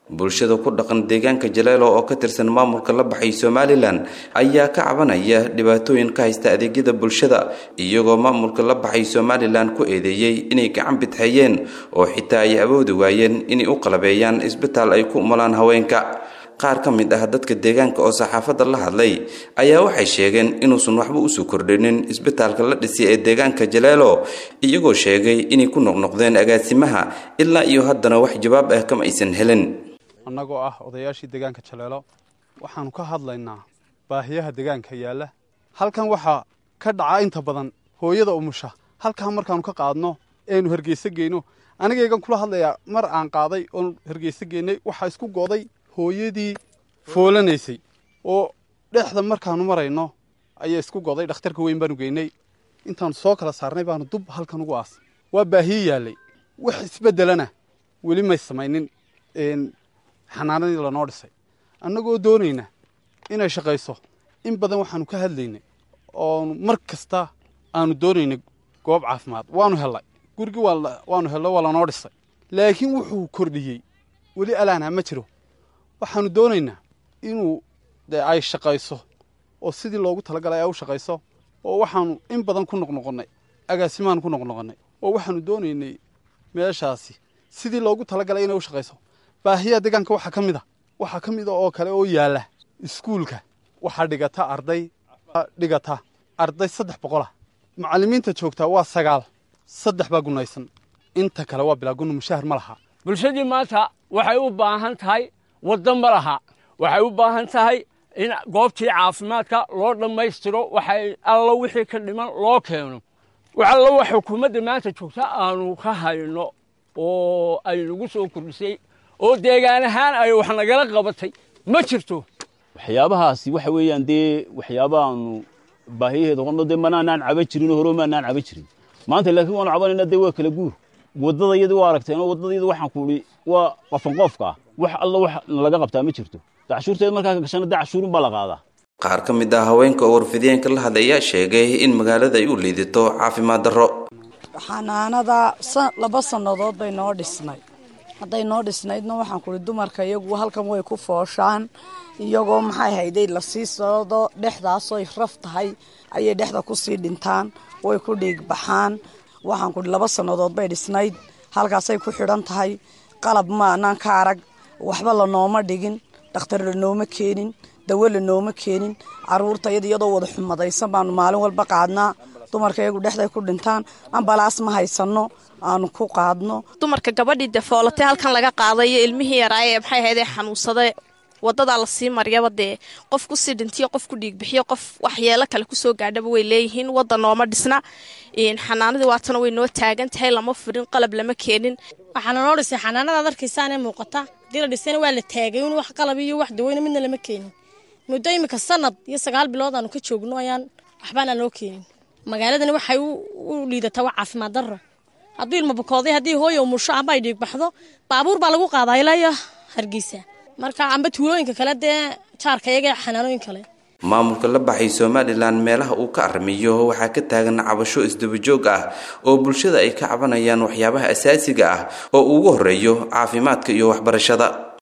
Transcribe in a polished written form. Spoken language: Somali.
Bulshada ku dhaqan deegaanka Jaleelo oo ka tirsan maamulka la baxay Somaliland ayaa ka cabanaya dhibaatooyin ka haysta adeegyada bulshada, iyagoo maamulka la baxay Somaliland ku eedeeyey inay gacan bidxeeyeen oo xitaa ay awoodi waayeen inay u qalabeeyaan isbitaal ay ku umulaan haweenka. Qaar ka mid ah dadka deegaanka oo saxaafadda la hadlay ayaa waxay sheegeen inuusan waxba usoo kordhinin isbitaalka la dhisay ee deegaanka Jaleelo, iyagoo sheegay inay ku noqnoqdeen agaasimaha ilaa iyo haddana wax jawaab ah kama aysan helin. Annagoo ah odayaashii deegaanka Jaleelo, waxaanu ka hadlaynaa baahiyaha deegaanka yaalla. Halkan waxaa ka dhaca inta badan hooyada umusha halkan markaanu ka qaadno eenu Hargeysa geyno. Anigaygan kula hadlayaa, mar aan qaaday oon Hargeysa geynay, waxaa isku go'day hooyadii foolanaysay oo dhexda markaanu marayno ayaa isku go'day. Dhakhtarka weyn baanu geynay, intaanu soo kala saarnay baanu dub halkan ugu aas. Waa baahiye yaallay, wax isbeddelana weli may samaynin xanaanadii lanoo dhisay. Annagoo doonayna inay shaqayso, in badan waxaanu ka hadlaynay oonu mar kasta aanu doonaynay goob caafimaad. Waanu hellay gurigii, waanu hello, waa lanoo dhisay, laakiin wuxuu kordhiyey weli alaana ma jiro. Waxaanu doonaynaa inuu dee ay shaqayso oo sidii loogu talagalay ay u shaqayso, oo waxaanu in badan ku noqnoqonnay agaasimaanu ku noqnoqonnay, oo waxaanu doonaynay meeshaasi sidii loogu talagalay inay u shaqayso. Baahiyaha deegaanka waxaa ka mid a, waxaa ka mid a oo kale oo yaalla iskuulka. Waxaa dhigata arday, dhigata arday 300 ah. Macallimiinta joogtaa waa 9, 3 baa gunaysan, inta kale waa bilaa gunno, mushahar ma laha. Bulshadii maanta waxay u baahan tahay waddo ma laha, waxay u baahan tahay in goobtii caafimaadka loo dhammaystiro, waxay allo wixii ka dhiman loo keeno. Wax allo wax xukuumadda maanta joogta aanu ka hayno oo ay nagu soo kordhisay oo deegaan ahaan ay wax nagala qabatay ma jirto. Waxyaabahaasi waxa weeyaan dee waxyaabahaanu baahiyaheeda qonno dee manaanaan caban jirin oo hore maanaan caban jirin maanta, laakiin waanu cabanayna. Dee waa kala guur, waddada iyada waa aragteen oo waddada iyada waxaan ku idhi waa qafanqoofka ah. Wax alla wax nalaga qabtaa ma jirto. Cashuurteed markaa ka gashana dee cashuurun baa la qaadaa. Qaar ka mid ah haweenka oo warfideenka la hadlay ayaa sheegay in magaalada ay u liidato caafimaad darro. Xanaanada 2 sannadood bay noo dhisnay. Hadday noo dhisnaydna, waxaan kuhi dumarka iyagu halkan way ku fooshaan, iyagoo maxay hayday lasii socdo dhexdaasoy raf tahay ayay dhexda kusii dhintaan, way ku dhiig baxaan. Waxaan kuhi 2 sannadood bay dhisnayd, halkaasay ku xidhan tahay. Qalab ma anaan ka arag, waxba lanooma dhigin, dhakhtar lanooma keenin, dawo lanooma keenin. Caruurta iyada iyadoo wada xumadaysan baanu maalin walba qaadnaa. Dumarka iyagu dhexday ku dhintaan, ambalaas ma haysano aanu ku qaadno. Dumarka gabadhii dee foolatay halkan laga qaadayo, ilmihii yaraaye maxay ahaydee xanuunsaday wadadaa lasii maryaba, dee qof kusii dhintiyo, qof ku dhiigbixiyo, qof waxyeelo kale kusoo gaadhaba way leeyihiin. Wadda nooma dhisna, xanaanadii waatana way noo taagan tahay, lama furin, qalab lama keenin. Waxaana noo dhisay xanaanadaad arkaysaanee muuqata. Hadii la dhisayna waa la taagay un, wax qalab iyo wax daweyna midna lama keenin. Muddo imika sanad iyo 9 bilood aanu ka joogno ayaan waxbaana noo keenin. Magaaladani waxay u liidataa waa caafimaad darro. Hadduu ilma bukooday, haddii hooya umusho amba ay dhiig baxdo, baabuur baa lagu qaadaa ilaa iyo Hargeysa, marka amba tuulooyinka kale dee jaarka iyaga xanaanooyin kale. Maamulka la baxay Somaliland meelaha uu ka arrimiyo waxaa ka taagan cabasho isdabajoog ah oo bulshada ay ka cabanayaan waxyaabaha asaasiga ah oo ugu horeeyo caafimaadka iyo waxbarashada.